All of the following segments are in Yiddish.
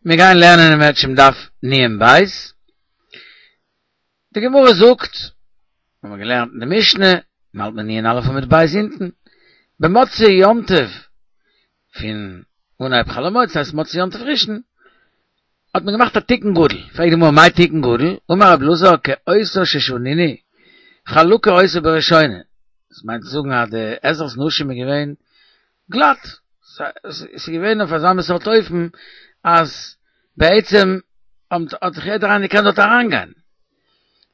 מיר גייען לערנען אם ירצה השם דף נון בית. די גמרא זאגט, האבן מיר געלערנט אין די משנה, מ'האלט מיר נון אלף עמוד בית אונטן, במוצאי יום טוב פון אנהייב חול המועד, ס'הייסט מוצאי יום טוב ראשון, האט מען געמאכט א תיקון גדול, פרעגט די גמרא מאי תיקון גדול, אמר רב אלעזר כאותה ששנינו, חלקה היתה בראשונה, דאס מיינט צו זאגן אז די עזרת נשים איז געווען גלאט, ס'איז געווען אויף אזא מין סארט אופן אז בעצם האט זיך יעדער איינער געקענט דארט אריינגיין.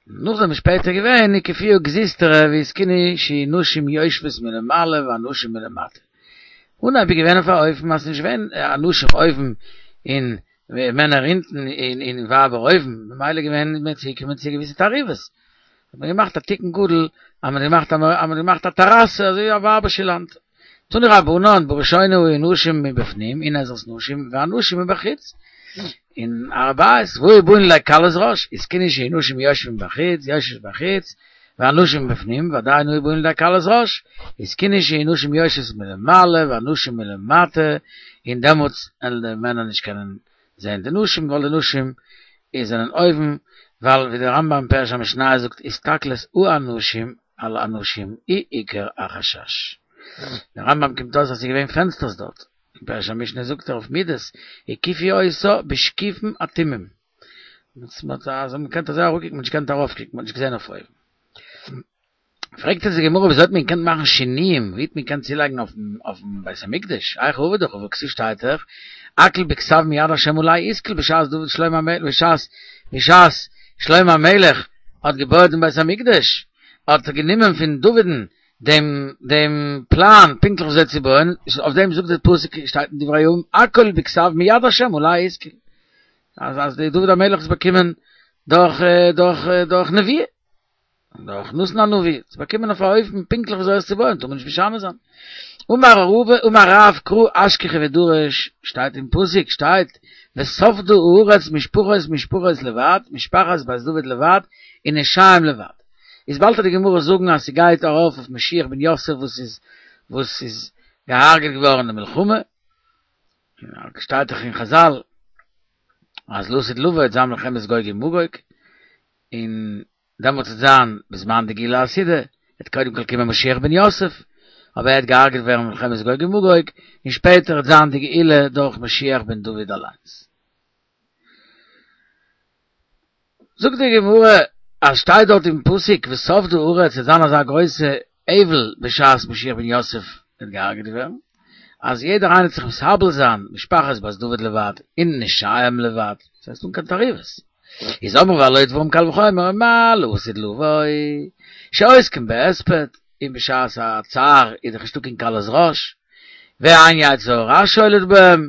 נאכדעם איז שפעטער געווען הקיפוה גזוזטרא והתקינו שיהו נשים יושבות מלמעלה ואנשים מלמטה. אנהייב איז געווען אויף א אופן אז ס'איז נישט געווען אנשים אויבן און מענער אונטן און ווייבער אויבן, ממילא געווען איז מען צוגעקומען צו געוויסע תערובות. האט מען געמאכט א תיקון גדול אז מען האט געמאכט אז מען האט געמאכט א טעראסע אזוי ווי א ווייבערשע לאנד. תנו רבנן בראשונה היו נשים מבפנים אין עזרת נשים ואנשים מבחוץ אין הר הבית והיו באין לידי קלות ראש התקינו שיהו נשים יושבים בחוץ יושבות בחוץ ואנשים מבפנים ועדיין היו באין לידי קלות ראש התקינו שיהו נשים יושבות מלמעלה ואנשים מלמטה און דעמאלטס וועלן די מענער נישט קענען זעהן די נשים ווייל די נשים איז זענען אויבן ווייל ווי דער רמב"ם פירוש המשניות זאגט הסתכלות האנשים על הנשים היא עיקר החשש. דער רמב"ם קומט אויס אז ס'איז געווען פענסטערס דארט, אין פירוש המשנה זאגט ער אויף מידות הקיפו אותה בשקיפין אטומים, אז מען קען אזוי אראפקוקן, מען האט נישט געקענט ארויפקוקן, מען האט נישט געזען אויף אויבן. פרעגט אונז די גמרא וויאזוי האט מען געקענט מאכן שינויים, ווי האט מען געקענט צולייגן אויפן בית המקדש, היכי עביד הכי והכתיב שטייט דאך, הכל בכתב מיד השם עלי השכיל בשעת דוד שלמה המלך בשעת בשעת שלמה המלך האט געבויעט דעם בית המקדש האט ער גענומען פון דוד'ן דעם דעם פלאן פונקטליך וויאזוי צו בויען, אויף דעם זאגט דער פסוק שטייט אין דברי הימים הכל בכתב מיד השם עלי השכיל אז אז די דוד המלך האט עס באקומען דורך דורך דורך נביאה. דורך נתן הנביא, צו באקומען אויף א אופן פונקטליך וויאזוי עס צו בויען, טאר מען נישט משנה זיין. אמר רבא, אמר רב קרא אשכחיה ודרש, שטייט אין פסוק, שטייט, ושפדו הארץ משפחות משפחות לבד, משפחת בית דוד לבד, ונשיהם לבד. איז באלד וועט די גמרא זאגן אז ס'גייט ארויף אויף משיח בן יוסף וואס איז וואס איז געהארגעט געווארן אין די מלחמה, שטייט דאך אין חזל אז לעתיד לבוא וועט זיין מלחמת גוג ומגוג, און דעמאלטס וועט זיין בזמן די גאולה העתידה, וועט קודם כל קומען משיח בן יוסף, אבער ער וועט געהארגעט ווערן במלחמת גוג ומגוג, און שפעטער וועט זיין די גאולה דורך משיח בן דוד אליינס. זאגט די גמרא אז שטייט דארט אין פסוק ושפדה הארץ וועט זיין אזא גרויסע אבל בשעת משיח בן יוסף וועט געהארגעט ווערן, אז יעדער איינער וועט זיך מתאבל זיין, משפחת בית דוד לבד און נשיהם לבד, ס'הייסט אן קיין תערובות. איז אמרו והלא דברים קל וחומר מה לעתיד לבוא שעוסקים בהספד און בשעת הצער איז דאך נישטא קיין קלות ראש ואין יצר הרע שולט בהם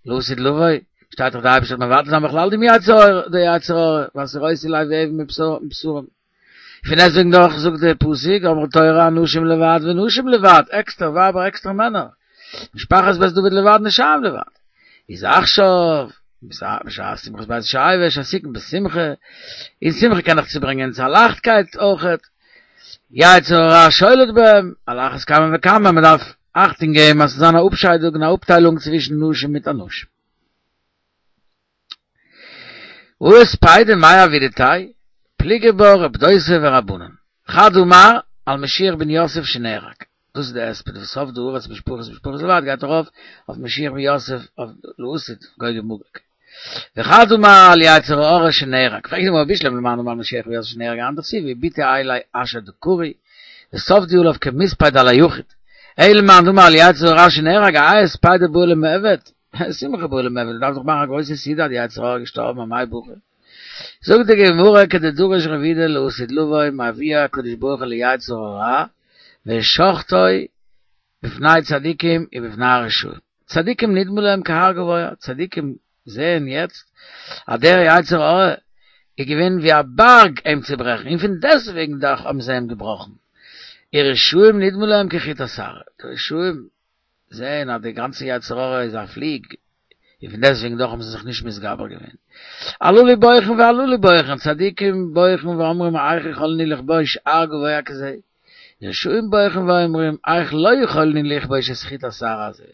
לעתיד לבוא שטייט דאך די אייבערשטער וועט מבטל זיין בכלל דעם יצר די יצר הרע והסירותי לב אבן מבשרם פון דעסטוועגן דאך זאגט די פסוק אמרה תורה אנשים לבד ונשים לבד עקסטער ווייבער עקסטער מענער משפחת בית דוד לבד נשיהם לבד איז עכשיו בשעת שמחת בית השואבה שעסוקין בשמחה און שמחה קען דאך צוברענגען צו א לייכטקייט אויכעט יצר הרע שולט בהם על אחת כמה וכמה מען דארף אכטונג געבן אז ס'זאל זיין א אפשיידונג און א אפטיילונג צווישן נשים מיט אנשים. הא הספידא מאי עבידתיה פליגי בה רב דוסא ורבנן חד אמר על משיח בן יוסף שנהרג דאס איז די הספד ושפדה הארץ משפחות משפחות לבד גייט ארויף אויף משיח בן יוסף אויף לעתיד גוג ומגוג וחד אמר על יצר הרע שנהרג פרעגט די גמרא בשלמא למאן דאמר על משיח בן יוסף שנהרג היינו דכתיב הביטו אלי אשר דקרו ושפדו עליו כמספד על היחיד אלא למאן דאמר על יצר הרע שנהרג האי הספידא בעי למעבד שמחה בעי למעבד, מ'דארף דאך מאכן א גרויסע סעודה אז די יצר הרע איז געשטארבן אמאי בכו. זאגט די גמרא כדדרש רב יהודה לעתיד לבוא מביאו הקדוש ברוך הוא ליצר הרע ושחטו בפני צדיקים ובפני הרשעים. צדיקים נדמה להם כהר גבוה, צדיקים זעען יעצט אז דער יצר הרע איז געווען ווי א בארג אים צו ברעכן און פון דעסטוועגן דאך האבן זיי אים געבראכן. ורשעים נדמה להם כחוט השערה, די רשעים זעהן אז די גאנצע יצר הרע איז א פליג, און פון דעסטוועגן דאך האבן זיי זיך נישט מתגבר געווען. הללו בוכין והללו בוכין, צדיקים בוכין ואומרים איך יכולנו לכבוש הר גבוה כזה, רשעים בוכין ואומרים איך לא יכולנו לכבוש את חוט השערה הזה.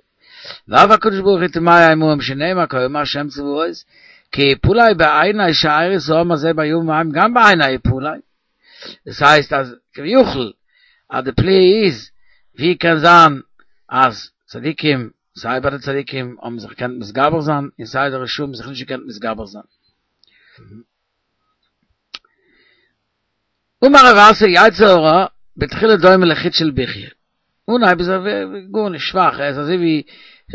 ואף הקדוש ברוך הוא תמה עמהם שנאמר כה אמר השם צבאות כי יפולי בעיני שארית העם הזה בימים ההם גם בעיני יפולי. דאס הייסט אז כביכול אז די פליאה איז ווי קען זיין אז צדיקים סיי ביי די צדיקים האבן זיך געקענט מתגבר זיין און סיי די רשעים האבן זיך נישט געקענט מתגבר זיין. אמר רב אסי יצר הרע בתחילה דומה לחוט של בוכיא, אנהייב איז ער גארנישט שוואך ער איז אזוי ווי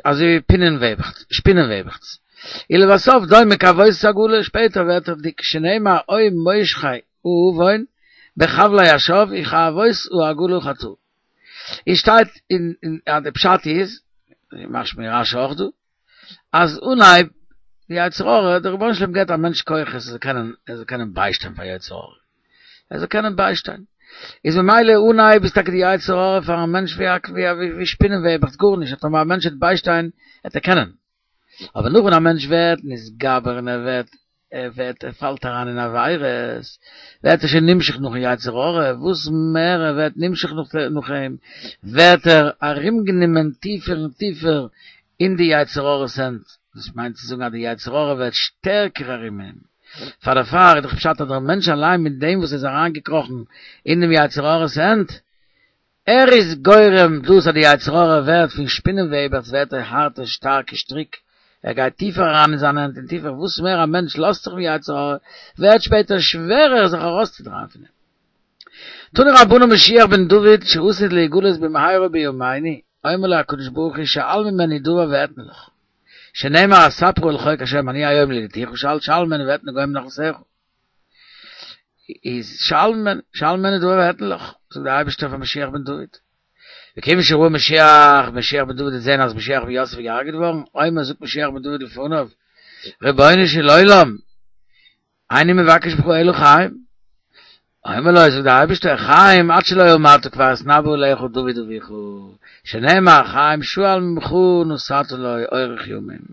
אזוי ווי פינען-וועבעכץ שפינען-וועבעכץ, ולבסוף דומה כעבותות עגלה שפעטער ווערט ער דיק שנאמר או מושכי האון בחבלי השוא וכעבות העגלה חטאה. איז שטייט אין אז די פשט איז, משמע אין רש"י אויך דא, אז אנהייב די יצר הרע, דער רבונו של עולם געבט א מענטש כוחות ער זאל קענען ער זאל קענען ביישטיין פאר יצר הרע, ער זאל קענען ביישטיין, איז ממילא אנהייב איז טאקע די יצר הרע פארן מענטש ווי א ווי ווי שפינען וועבעכץ גארנישט, אז טאמער א מענטש וועט ביישטיין וועט ער קענען, אבער נאך ווען א מענטש ווערט נתגבר און ער ווערט ער ווערט ער פאלט אריין אין עבירות, ווערט ער שוין נמשך נאכן יצר הרע, וואס מער ער ווערט נמשך נאך אים, ווערט ער ארומגענומען טיפער און טיפער אין די יצר הרע'ס הענט, דאס מיינט צו זאגן אז די יצר הרע ווערט שטערקער ארום אים, פאר דערפאר איז דאך פשט אז דער מענטש אליין מיט דעם וואס ער איז אריינגעקראכן אין דעם יצר הרע'ס הענט, ער איז גורם דאס אז די יצר הרע ווערט פון שפינען-וועבעכץ ווערט ער הארטע שטארקע שטריק, ער גייט טיפער אריין אין זיינע הענט און טיפער, וואס מער א מענטש לאזט זיך פון יצר הרע ווערט שפעטער שווערער זיך ארויסצודרייען פון אים. תנו רבנן משיח בן דוד שעתיד להיגלות במהרה בימינו, אומר לו הקדוש ברוך הוא שאל ממני דבר ואתנה לך, שנאמר אספרה אל חוק השם אני היום ילדתיך שאל שאל ממני ואתנה גוים לנחלתך. איז שאל ממני, שאל ממני דבר ואתנה לך, זאגט דער אייבערשטער פאר משיח בן דוד. וכיוון שראה משיח, משיח בן דוד האט געזען אז משיח בן יוסף איז געהארגעט געווארן, אומר זאגט משיח בן דוד לפניו, רבונו של עולם, איני מבקש ממך אלא חיים. אומר לו, זאגט דער אייבערשטער, חיים עד שלא אמרת כבר התנבא עליך דוד אביך, שנאמר חיים שאל ממך נתת לו אורך ימים.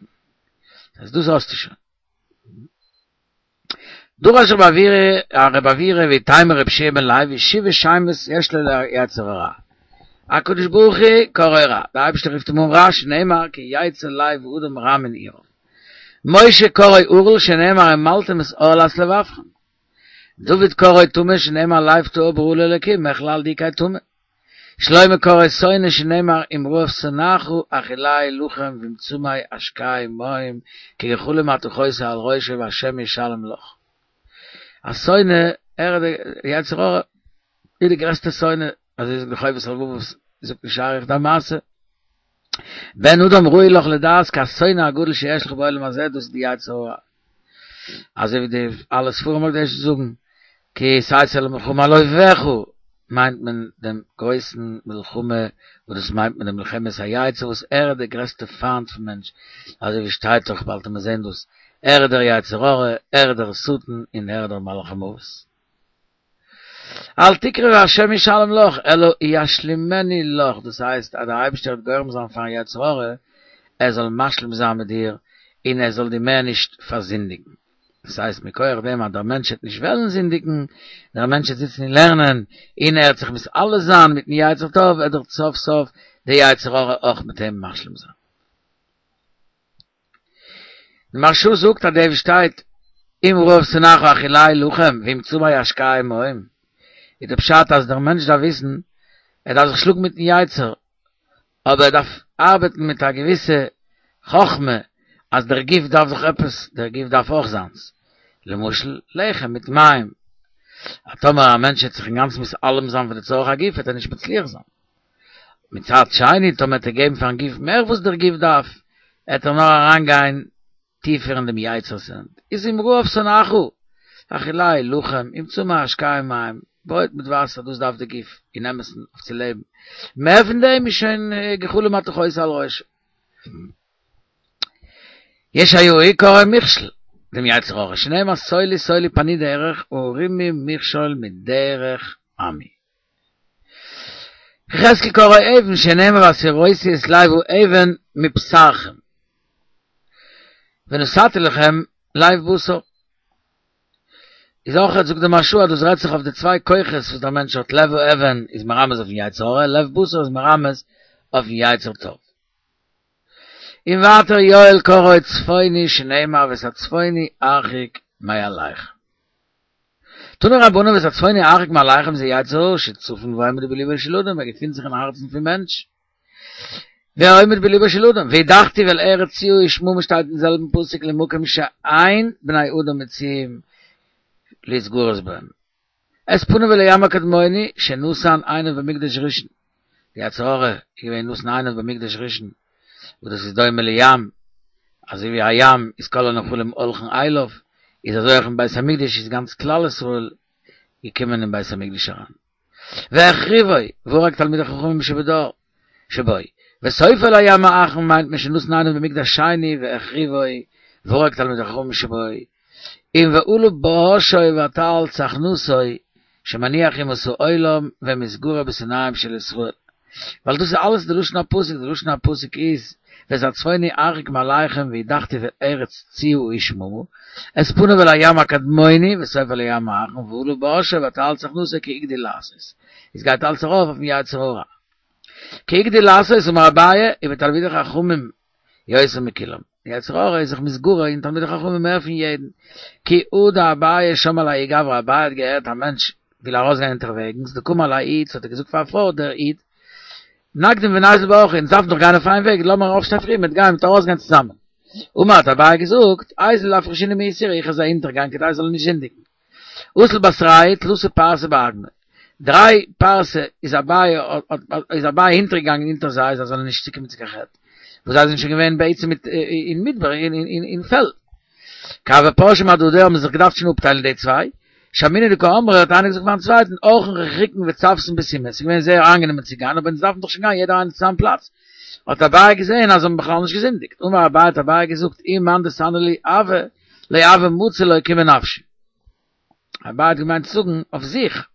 אז דאס האסטו שוין. דרש רב עוירא רב עוירא ואיתימא רבי יהושע בן לוי שבעה שמות יש לו ליצר הרע הקדוש ברוך הוא קראו רע דער אייבערשטער רופט אים אן רע שנאמר כי יצר לב האדם רע מנעוריו משה קראו ערל שנאמר המלתם את ערלת לבבכם דוד קראו טמא שנאמר לב טהור ברא לי אלקים מכלל דאיכא טמא שלמה קראו שונא שנאמר אם רעב שנאך האכילהו לחם ואם צמא השקהו מים כי גחלים אתה חותה על ראשו והשם ישלם לך. א שונא, ער איז די יצר הרע, איז די גרעסטע שונא, אזוי זאגט די חובת הלבבות, זאגט אין שער היחוד א מעשה, בן אדם ראוי לך לדעת כי השונא הגדול שיש לך בעולם הזה דאס איז די יצר הרע. אזוי ווי די אלע ספרים הקדושים זאגן, כי תצא למלחמה על אויביך, מיינט מען דעם גרויסן מלחמה, וואס דאס מיינט מען די מלחמת היצר וואס ער איז דער גרעסטע פיינט פון מענטש, אזוי ווי שטייט דאך באלד וועט מען זען דאס, ער איז דער יצר הרע, ער איז דער שטן און ער איז דער מלאך המוות. אל תקרי והשם ישלם לך, אלא ישלימנו לך, דאס הייסט אז דער אייבערשטער וועט גורם זיין פארן יצר הרע ער זאל משלים זיין מיט דיר און ער זאל דיר מער נישט פארזינדיגן. דאס הייסט מכח דעם אז דער מענטש וועט נישט וועלן זינדיגן, דער מענטש וועט זיצן און לערנען און ער וועט זיך מתעלה זיין מיטן יצר טוב, וועט דאך סוף סוף דער יצר הרע אויך מיט אים משלים זיין. די מהרשא זאגט אז דער וואס שטייט אם רעב שנאך האכילהו לחם ואם צמא השקהו מים איז די פשט אז דער מענטש דארף וויסן ער דארף זיך שלאגן מיטן יצר אבער ער דארף ארבעטן מיט א געוויסע חכמה אז דער גוף דארף דאך עפעס דער גוף דארף אויך זיינס למשל לחם מיט מים אז טאמער א מענטש וועט זיך אינגאנצן מתעלם זיין פון די צורך הגוף וועט ער נישט מצליח זיין. מצד שני טאמער וועט ער געבן פארן גוף מער וואס דער גוף דארף, עט ער נאר אריין גיין טיפער אין דעם יצר'ס הענט, איז אם רעב שנאך האכילהו לחם, אם צמא השקהו מים, ברויט מיט וואסער דאס דארף די גוף אין אמת'ן אויף צו לעבן, מער פון דעם איז שוין גחלים אתה חותה על ראשו. ישעיהו קראו מכשול, דעם יצר הרע, שנאמר סולו סולו פנו דרך הרימו מכשול מדרך עמי. יחזקאל קראו אבן שנאמר והסירותי את לב האבן מבשרכם ונתתי לכם לב בשר. איז אויך זאגט די מהרשא אז דאס רעדט זיך אויף די צוויי כוחות וואס דער מענטש האט לב האבן איז מרמז אויפן יצר הרע לב בשר איז מרמז אויפן יצר טוב. און ווייטער יואל קראו צפוני שנאמר ואת הצפוני הרחק מעליכם. תנו רבנן ואת הצפוני הרחק מעליכם זה יצר הרע שצפון ועומד בלבו של אדם ער געפינט זיך אין הארצן פון מענטש. ועומד בלבו של אדם, והדחתיו אל ארץ ציה ושממה שטייט אין זעלבן פסוק למקום שאין בני אדם מצויים להתגרות בהם. את פניו אל הים הקדמוני שנתן עיניו במקדש ראשון, די יצר הרע איז געווען נתן עיניו במקדש ראשון, וואס דאס איז דומה לים, אזוי ווי א ים איז כל הנחלים הולכין אליו, איז אזוי אויך אין בית המקדש איז גאנץ כלל ישראל געקומען אין בית המקדש אריין. והחריבו, והרג תלמידי חכמים שבדור, שבו. וסופו לים האחרון מיינט מען שנתן עיניו במקדש שני והחריבו, והרג תלמידי חכמים שבו. און ועלה בראשו ותעל צחנתו, שמניח ימות העולם ומתגרה בשונאיהם של ישראל. ווייל דאס איז אלעס די לשון הפסוק, די לשון הפסוק איז, ואת הצפוני הרחק מעליכם והדחתיו אל ארץ ציה ושממה, את פניו אל הים הקדמוני וסופו אל הים האחרון ועלה בראשו ותעל צחנתו כי הגדיל לעשות. עס גייט אלץ ארויף אויפן יצר הרע. כי הגדיל לעשות אמר אביי ובתלמידי חכמים יותר מכולם. די יצר הרע איז זיך מתגרה אין תלמידי חכמים מער פון יעדן. כי הא דאביי שמע לההוא גברא אביי האט געהערט א מענטש וויל ארויסגיין אונטערוועגנס דקאמר לאיד האט ער געזאגט פאר א פרוי דער איד נקדים וניזיל באורחא אונז דארפן דאך גיין אויף איין וועג לאמיר אויפשטיין פרי מ'וועט גיין מ'וועט ארויסגיין צוזאמען. אמר האט אביי געזאגט איזיל לאפרושינהו מאיסורא איך וועל זיי אונטערגיין כדי זיי זאלן נישט זינדיגן. אזל בתרייהו תלתא פרסי באגמא דריי פרסה איז אביי איז אביי אונטערגעגאנגען אונטער זיי זיי זאלן נישט צוקומען צו קיין חטא וואס זיי זענען שוין געווען בעצם מיט אין מדבר אין פעלד. כי הוו פרשי מהדדי האבן זיך געדארפט שוין אפטיילן די צוויי, שמעינהו דקאמרי האט איינער געזאגט פארן צווייטן אורחין רחיקין וצוותין בסומא, ס'איז געווען זייער איינגענומען צו גיין אבער אונז דארפן דאך שוין גיין יעדער איינער צו זיין פלאץ, האט אביי געזען אז זיי האבן בכלל נישט געזינדיגט, אמר אביי האט אביי געזאגט אי מאן דסני לי הוה לא הוה מצי לאוקמי נפשי. אביי האט געמיינט צו זאגן אויף זיך,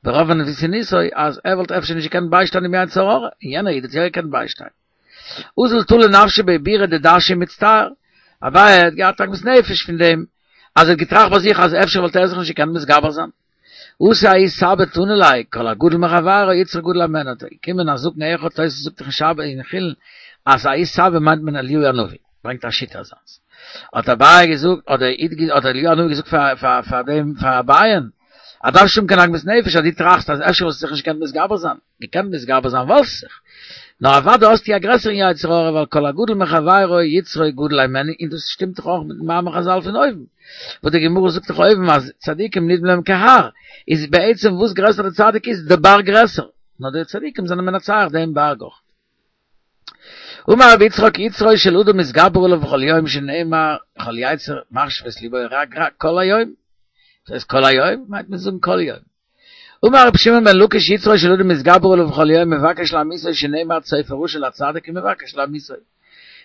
ברוב ענוותנותו אז ער וואלט אפשר נישט געקענט ביישטיין דעם יצר הרע, און יענער איד האט יא געקענט ביישטיין. אזל תלי נפשיה בעיבורא דדשא ומצטער, אביי האט געהאט עגמת נפש פון דעם אז ער האט געטראכט ביי זיך אז אפשר וואלט ער זיך נישט געקענט מתגבר זיין. אתא ההוא סבא תני ליה, כל הגדול מחבירו יצרו גדול הימנו, האט געקומען א זקן אחד, תוס' זאגט דאך אין שבת אין חולין אז ההוא סבא מיינט מען אליהו הנביא, ברענגט א שיטה אזאנס. האט אביי געזאגט, האט דער איד האט אליהו הנביא געזאגט פאר פאר פאר דעם פאר אביי'ן, אז דארפסט נישט האבן קיין עגמת נפש אז דו טראכסט אז אפשר וואלסטו זיך נישט געקענט מתגבר זיין, געקענט מתגבר זיין וואלסט זיך, נאר אוודאי האסטו א גרעסערן יצר הרע ווייל כל הגדול מחבירו יצרו גדול הימנו, און דאס שטימט דאך אויך מיטן מאמר חזל פון אויבן, וואס די גמרא זאגט דאך אויבן אז צדיקים נדמה להם כהר, איז בעצם וואס גרעסער די צדיק איז די בארג גרעסער, נאר די צדיקים זענען מנצח דעם בארג אויך. אמר רבי יצחק יצרו של אדם מתגבר עליו בכל יום שנאמר כל יצר מחשבות לבו רק רע כל היום, דאס הייסט כל היום מיינט מען זאגן כל יום. אמר רבי שמעון בן לקיש יצרו של אדם מתגבר עליו בכל יום מבקש להמיתו שנאמר צופה רשע לצדיק ומבקש להמיתו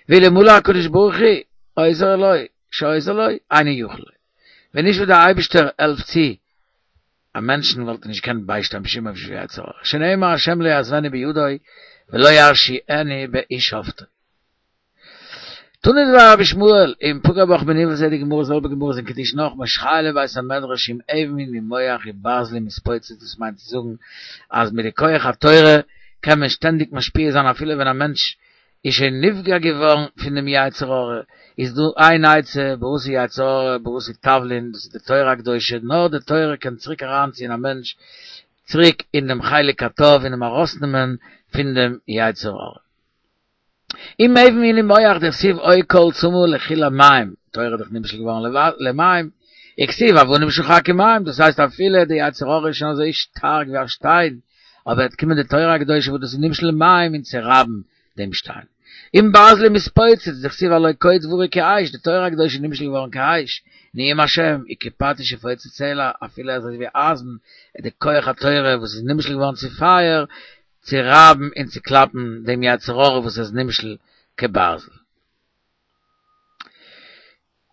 ואלמלא הקדוש ברוך הוא עוזר לו שעוזר לו אינו יכול לו ווען נישט וואס דער אייבערשטער העלפט צו א מענטשן וואלט ער נישט געקענט ביישטיין בשום אופן שום יצר הרע, שנאמר השם לא יעזבני בידו ולא ירשיעני באיש שפטו. תנא דבי רבי ישמעאל, אם פגע בך מנוול זה די גמרא זעלבע גמרא איז אין קידושין נאך מושכהו לבית המדרש אם אבן ואם מוח וברזלים יתפוצץ דאס מיינט צו זאגן אז מיט די כח התורה קען מען שטענדיג משפיע זיין אפילו ווען א מענטש איז שוין נפגע געווארן פון דעם יצר הרע, איז דא איין עצה, בראתי יצר הרע, בראתי תבלין, דאס איז די תורה הקדושה, נאר די תורה קען צוריק אריינציען א מענטש צוריק אין דעם חלק הטוב און אים ארויסנעמען פון דעם יצר הרע. אם אבן הוא למוח דכתיב הוי כל צמא לכו למים, תורה איז דאך נמשל געווארן למים, וכתיב אבנים שחקו מים, דאס הייסט אפילו די יצר הרע איז שוין אזוי שטארק ווי א שטיין, אבער וועט קומען די תורה הקדושה וואס דאס איז נמשל למים און צורייבן דעם שטיין. אם ברזלים יתפוצץ, דכתיב הלא כה דברי כאש, די תורה הקדושה איז נמשל געווארן כאש, נאום השם, וכפטיש יפוצץ סלע, אפילו אזוי ווי אייזן, איז די כח התורה וואס איז נמשל געווארן צו פייער, צו רייבן און צו קלאפן דעם יצר הרע וואס איז נמשל כברזל.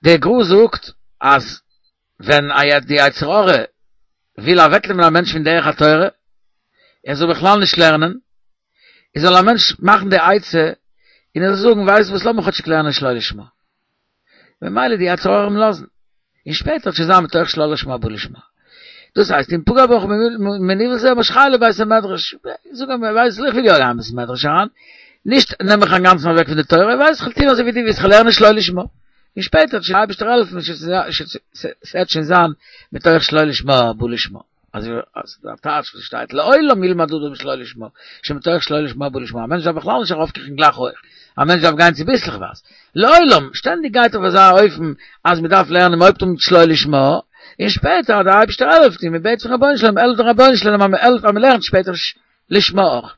דער גר"א זאגט אז ווען די יצר הרע וויל אוועקנעמען א מענטש פון דרך התורה, ער זאל בכלל נישט לערנען, איז זאל א מענטש מאכן די עצה און ער זאל זאגן, ווייסט וואס, לאמיך כאטשיג לערנען שלא לשמה. ממילא די יצר הרע אים לאזן. און שפעטער וועט שוין זיין מתוך שלא לשמה בא לשמה. דאס הייסט, אם פגע בך מנוול זה משכהו לבית המדרש. זאג אים, ווייסט, איך וויל יא גיין בית המדרש אריין. נישט נעם מיך אינגאנצן אוועק פון די תורה, ווייס איך וועל טון אזוי ווי דו ווילסט, כ'וועל לערנען שלא לשמה, און שפעטער וועט שוין דער אייבערשטער העלפן, ס'וועט שוין זיין מתוך שלא לשמה בא לשמה, אזוי ווי דער טייטש וואס שטייט לעולם ילמד אדם שלא לשמה, שמתוך שלא לשמה בא לשמה, א מענטש דארף בכלל נישט ארויפקריכן גלייך הויך, א מענטש דארף גיין צוביסלעכווייז, לעולם, שטענדיג גייט אויף אזא אופן אז מען דארף לערנען, מען הויבט אן מיט שלא לשמה, און שפעטער אז דער אייבערשטער העלפט און מען בעט פון רבונו של עולם, העלפט דער רבונו של עולם אז מען העלפט אז מען לערנט שפעטער לשמה אויך.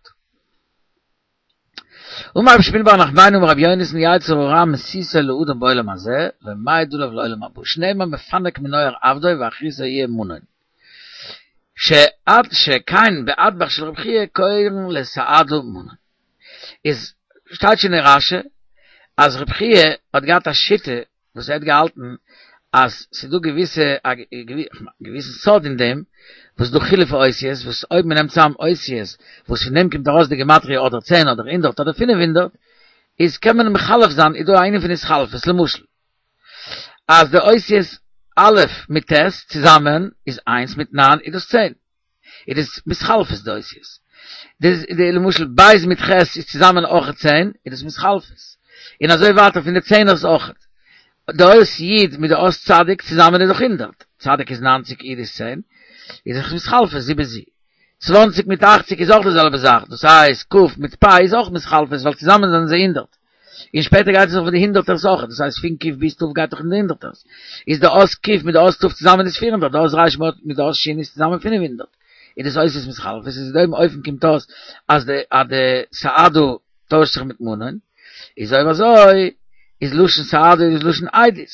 אמר רבי שמואל בר נחמני אמר רבי יונתן יצר הרע מסיתו לאדם בעולם הזה ומעיד עליו לעולם הבא שנאמר מפנק מנוער עבדו ואחריתו יהיה מנון שעד שכן באטבח של רבי חייא קורין לסהדא מנון איז שטייט שוין אין רשי אז רבי חייא האט געהאט א שיטה וואס ער האט געהאלטן אז ס'איז דא געוויסע א געוויסן סוד אין דעם וואס דא חילוף האותיות וואס אויב מ'נעמט צאם אותיות וואס פון דעם קומט ארויס די גימטריא אדער צען אדער הונדערט אדער פינף הונדערט איז קען מען מחלף זיין איז דא א ענין פון התחלפות למשל אז די אותיות א' מיט ט' צוזאמען איז איינס מיט ניין איז דאס צען. איז דאס מתחלפות די אותיות. די די למשל בית מיט ח' איז צוזאמען אויכעט צען, איז דאס מתחלפות. און אזוי ווייטער פון די צענערס אויכעט. די אות י' מיט די אות צדיק צוזאמען איז דאך הונדערט. צדיק איז ניינציג י' איז צען. איז דאך מתחלפות זי בזי. צוואנציג מיט אכציג איז אויך די זעלבע זאך. דאס הייסט כ' מיט פ' איז אויך מתחלפות ווייל צוזאמען זענען זיי הונדערט. און שפעטער גייט עס נאך פון די הונדערטערס אויך, דאס הייסט פון ק' ביז ת' גייט דאך אין די הונדערטערס, איז די אות ק' מיט די אות ת' צוזאמען איז פיר הונדערט, די אות ר' מיט די אות ש' איז צוזאמען פינף הונדערט, איז דאס אותיות מתחלפות, איז אין דעם אופן קומט אויס אז די אז די סהדא טוישט זיך מיט מנון, איז אויב אזוי איז לשון סהדא איז לשון עדות.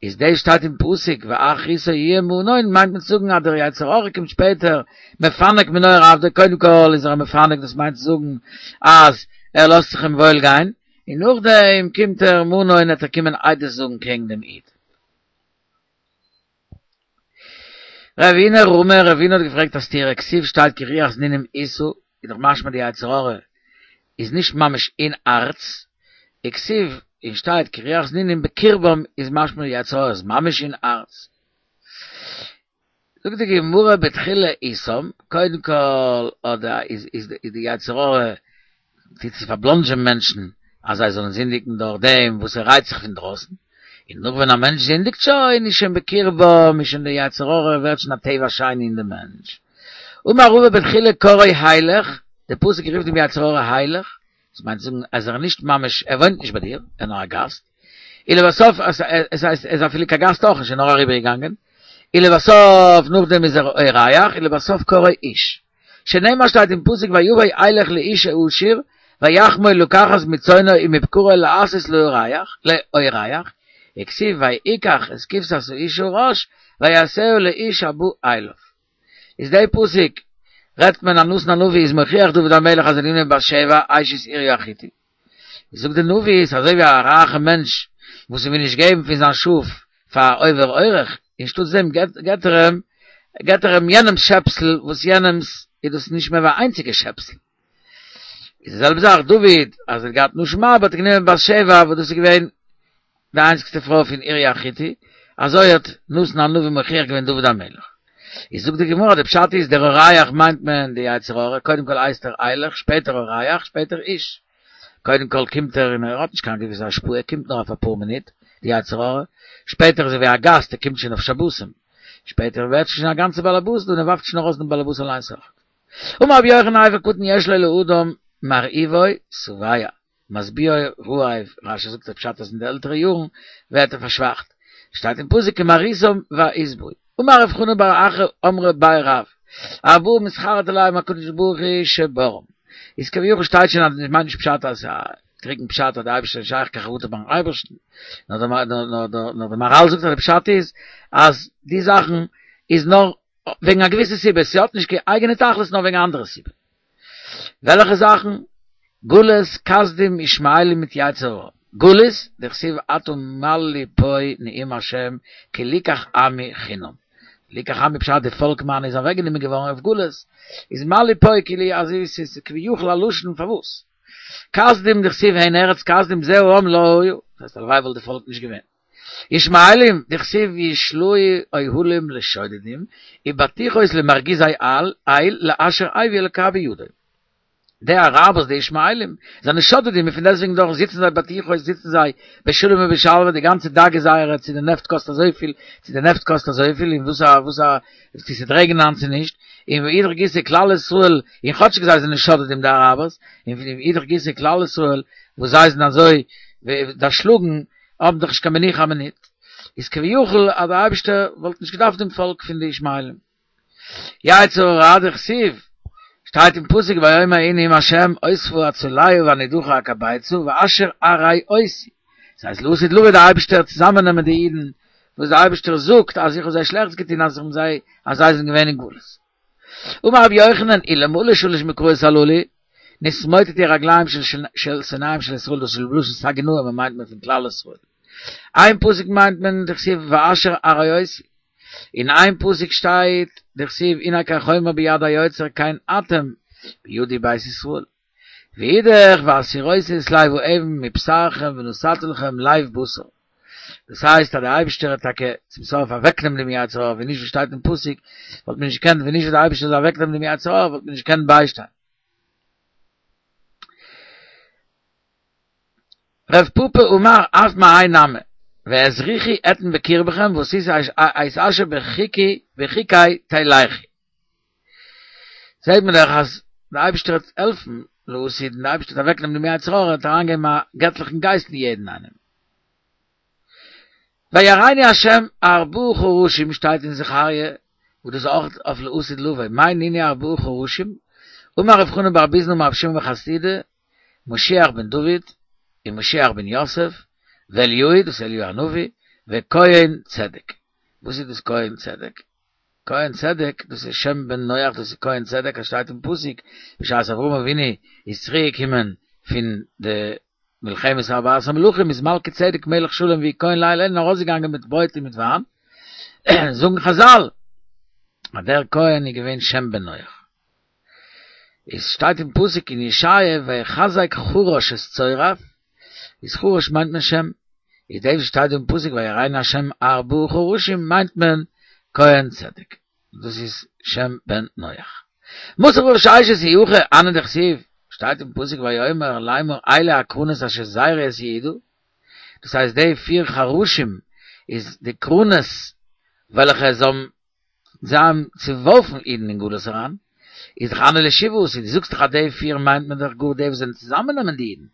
איז דאס שטייט אין פסוק ואחריתו יהיה מנון מיינט מען צו זאגן אז דער יצר הרע קומט שפעטער מפנק מנוער עבדו קודם כל איז ער א מפנק דאס מיינט צו זאגן אז ער לאזט זיך אים וואויל גיין און נאכדעם קומט ער מנון עט ער קומען עדות זאגן קעגן דעם איד. רבינא רמי, רבינא האט געפרעגט א סתירה, כתיב שטייט כי רוח זנונים ישא, איז דאך משמע די יצר הרע איז נישט ממש אין הארץ, וכתיב און שטייט כי רוח זנונים בקרבם איז משמע די יצר הרע איז ממש אין הארץ. זאגט די גמרא בתחילה אתם, קודם כל אדער איז איז די יצר הרע טוט צו פארבלאנדזשען מענטשן אז זיי זאלן זינדיגן דורך דעם וואס ער רייצט זיך פון דרויסן, און נאך ווען א מענטש זינדיגט שוין איז שוין בקרבם איז שוין די יצר הרע ווערט שוין א טבע שני אין די מענטש. אמר רבא בתחילה קראו הילך, די פסוק רופט דעם יצר הרע הילך, דאס מיינט צו זאגן אז ער איז נישט ממש ער וואוינט נישט ביי דיר, ער איז נאר א גאסט, ולבסוף עס הייסט ער איז אפילו קיין גאסט אויך נישט ער איז נאר אריבערגעגאנגען, ולבסוף נאכדעם איז ער אורח, ולבסוף קראו איש. שנאמר שטייט אין פסוק ויבא הילך לאיש העשיר ויחמול לקחת מצאנו ומבקרו לעשות לאורח לאורח וכתיב ויקח את כבשת האיש הרש ויעשהו לאיש הבא אליו איז די פסוק רעדט מען אז נתן הנביא איז מוכיח דוד המלך אז ער האט גענומען בת שבע אשת אוריה החתי זאגט די נביא איז אזוי ווי א רייכע מענטש וואס וויל נישט געבן פון זיין שאף פאר א עובר אורח אנשטאטס דעם געבט ער אים געבט ער אים יענעמס שעפסל וואס יענעמס איז דאס נישט מער ווי א איינציגע שעפסל. איז די זעלבע זאך דוד אז ער האט געהאט נשים הרבה האט ער גענומען בת שבע וואס דאס איז געווען די איינציגסטע פרוי פון אוריה החתי, אזוי האט נתן הנביא מוכיח געווען דוד המלך. איז זאגט די גמרא די פשט איז דער אורח מיינט מען די יצר הרע, קודם כל הייסט ער הילך שפעטער אורח שפעטער איש. קודם כל קומט ער און ער האט נישט קיין געוויסע השפעה ער קומט נאר אויף אפאר מינוט, די יצר הרע, שפעטער איז ער ווי א גאסט ער קומט שוין אויף שבתים, שפעטער ווערט שוין א גאנצע באלעבאס דא און ער ווארפט שוין ארויס דעם באלעבאס אליינס אויך. אמר רבי יוחנן אבר קטן יש לו לאדם מרעיבו שבע משביעו רעב, רשי זאגט די פשט אז אין די עלטערע יארן ווערט ער פארשוואכט, שטייט אין פסוק כמרעיתם וישבעו. אמר רב חנא בר אחא אמרי בי רב, ארבעה מתחרט עליהם הקדוש ברוך הוא שבראם. איז כביכול שטייט שוין אז עס מיינט נישט פשט אז א טרוקן פשט אז די אייבערשטער איז שייך קיין חרטה ביים אייבערשטן, נאר דער מהרל זאגט אז די פשט איז אז די זאכן איז נאר וועגן א געוויסע סיבה, ס'האט נישט קיין אייגענע תכלית נאר וועגן א אנדערע סיבה. וועלכע זאכן? גלות, כשדים, ישמעאלים מיט יצר הרע. גלות, דכתיב עתה מה לי פה נאום השם כי לקח עמי חינם. לקח עמי פשט די פאלק מיינע איז אוועק גענומען געווארן אויף גלות, איז מה לי פה כאילו אזוי ווי ס'איז כביכול א לשון פארוואס. כשדים דכתיב הן ארץ כשדים זהו העם לא היה, דאס הייסט הלוואי וואלט די פאלק נישט געווען. ישמעאלים, דכתיב ישלוהו אוהלים לשודדים, ובטוחות למרגיזי איל, לאשר הביא אלקה בידו. די אראבערס די ישמעאלים זענען שודדים און פון דעסטוועגן דאך זיצן זיי בטוחות זיצן זיי בשלום ובשלווה די גאנצע דאגה זייערע צו די נעפט קאסט אזויפיל צו די נעפט קאסט אזויפיל און וואס א וואס א צו ס'וועט רעגענען היינט צו נישט און ואידך גיסא כלל ישראל און כאטשיג זיי זענען שודדים די אראבערס און ואידך גיסא כלל ישראל וואס זיי זענען אזוי דערשלאגן האבן דאך נישט קיין מנוחה א מינוט איז כביכול אז דער אייבישטער וואלט נישט געדארפט דעם פאלק פון די ישמעאלים. יצר הרע דכתיב, שטייט אין פסוק ויאמר ההוא נאום השם אספה הצולע והנדחה אקבצה ואשר הרעותי, דאס הייסט לעתיד לבוא די אייבישטער צוזאמען נעמען די אידן וואס די אייבישטער זאגט אז איך האב זיי שלעכטס געטון אז איך האב זיי אז זיי זענען געווען אין גלות. אמר רבי יוחנן אלמלא שלש מקראות הללו נתמוטטו רגליהם של שונאיהם של ישראל דאס איז בלשון סגי נהור מען מיינט מען פון כלל ישראל איין פסוק מיינט מען דכתיב ואשר הרעותי אין איין פסוק שטייט דכתיב הנה כחומר ביד היוצר כן אתם בידי בית ישראל ואידך והסירותי את לב האבן מבשרכם ונתתי לכם לב בשר דאס הייסט אז דער אייבערשטער האט טאקע צום סוף אוועקנעמען דעם יצר הרע ווי נישט ווי שטייט אין פסוק וואלט מען נישט געקענט ווען נישט ווי דער אייבערשטער זאל אוועקנעמען דעם יצר הרע וואלט מען נישט געקענט ביישטיין. רב פפא אמר אף מהאי נמי, ואת רוחי אתן בקרבכם ועשית את אשר בחוקי בחוקי תלכו. זעהט מען דאך אז דער אייבערשטער וועט העלפן לעתיד און דער אייבערשטער וועט אוועקנעמען דעם יצר הרע און אריינגעבן א געטליכן גייסט אין יעדן איינעם. ויראני ה' ארבעה חרשים שטייט אין זכריה וואס דאס איז אויך אויף לעתיד לבוא, מאי נינהו ארבעה חרשים? אמר רב חנן בר ביזנא אמר רב שמעון בן חסידא, משיח בן דוד, און משיח בן יוסף, ואליהו, דאס איז אליהו הנביא, וכהן צדק. וואס איז דאס כהן צדק? כהן צדק, דאס איז שם בן נח, דאס איז כהן צדק, עס שטייט אין פסוק, בשעת אברהם אבינו איז צוריק געקומען פון די מלחמת ארבעת המלכים, איז מלכי צדק מלך שלם והוא כהן לאל עליון ארויסגעגאנגען מיט ברויט און מיט וויין, זאגן חזל אז דער כהן איז געווען שם בן נח. עס שטייט אין פסוק אין ישעיה ויחזק חרש את צורף, איז חרש מיינט מען שם, איז דאס וואס שטייט דא אין פסוק ויראני השם ארבעה חרשים מיינט מען כהן צדק, דאס איז שם בן נח. מתיב רב ששת אי הכי הני דכתיב, שטייט אין פסוק ויאמר לאמר אלה הקרנות אשר זרו את יהודה, דאס הייסט די פיר חרשים איז די קרנות וועלכע זיי האבן זיי האבן צעווארפן אידן אין גלות אריין, איז דאך הני לשבעה עשר, דו זאגסט דאך אז די פיר מיינט מען דאך גאר די וואס זענען צוזאמענעמען די אידן,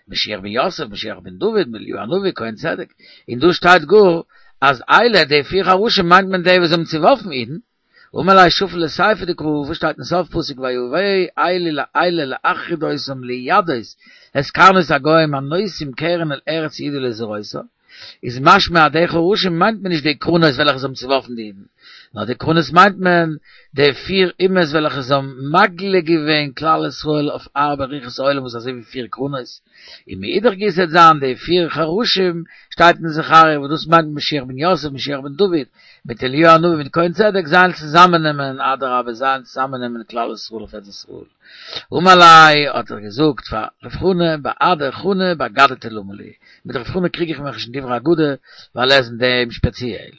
משיח בן יוסף, משיח בן דוד, אליהו הנביא, כהן צדק, און דא שטייט גאר אז אלה די פיר חרשים מיינט מען די וואס האבן צעווארפן אידן, אמר ליה שפיל לסיפא דקרא, וואס שטייט אין סוף פסוק ויבאו אלה להחריד אותם להידות את קרנות הגוים הנושאים קרן אל ארץ יהודה לזרותה, איז משמע אז די חרשים מיינט מען נישט די קרנות וועלכע זיי האבן צעווארפן די אידן, נאר די קרנות מיינט מען די פיר אומות וועלכע זיי האבן מגלה געווען כלל ישראל אויף ארבע רוחות העולם וואס איז אזוי ווי פיר קרנות, און מאידך גיסא וועט זיין די פיר חרשים שטייט אין זכריה וואס דאס מיינט משיח בן יוסף משיח בן דוד מיט אליהו הנביא מיט כהן צדק זיי וועלן צוזאמען נעמען אדרבה זיי וועלן צוזאמען נעמען כלל ישראל אויף ארץ ישראל. אמר ליה האט ער געזאגט פאר רב חנא בהדי חנא באגדתא למה לי, מיט רב חנא קריג איך מיך נישט אין דברי אגדה ווייל ער איז אין דעם שפעציעל.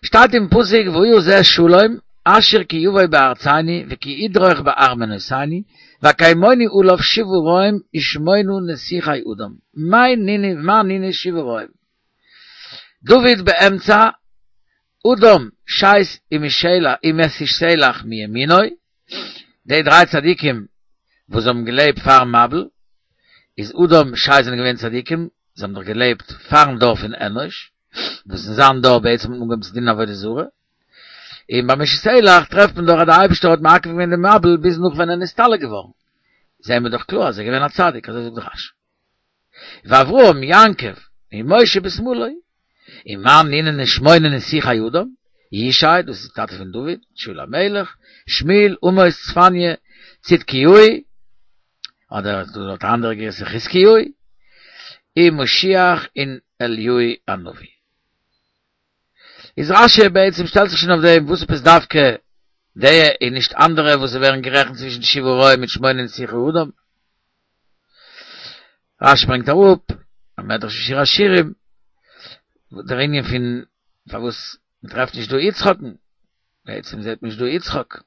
שטייט אין פסוק והיה זה שלום אשר כי יבוא בארצנו וכי ידרוך בארמנותינו ואקיימוני עליו שבעה רועים ושמונה נסיכי אדם, מאי נינהו מאי נינהו שבעה רועים? דוד באמצע אדם שת ומתושלח מימינו, די דריי צדיקים וואס האבן געלעבט פארן מבול, איז אדם שת זענען געווען צדיקים, זיי האבן דאך געלעבט פארן דור פון אנוש, וואס אין זיין דור בעצם האט מען אנגעהויבן צו דינען עבודה זרה, און ביי מתושלח טרעפט מען דאך אז דער אייבערשטער האט מעכב געווען דעם מבול ביז נאך ווען ער נסתלק געווארן, זעען מיר דאך קלאר אז ער איז געווען א צדיק, אזוי זאגט דאך רש"י. ואברהם יעקב ומשה בשמאלו, ומאן נינהו שמונה נסיכי אדם, ישי, דאס איז טאטע פון דוד, שאול המלך, שמואל, עמוס, צפניה, צדקיהו, אדער דא האט א אנדערע גירסא חזקיהו, און משיח און אליהו הנביא. איז רש"י בעצם שטעלט זיך שוין אויף דעם וואס עפעס דווקא די און נישט אנדערע וואס ווערן גערעכנט צווישן די שבעה רועים מיט שמונה נסיכי אדם. רש"י ברענגט אראפ א מדרש אין שיר השירים דער ענין פון פארוואס מ'טרעפט נישט דא יצחק'ן, בעצם זעט מען נישט דא יצחק.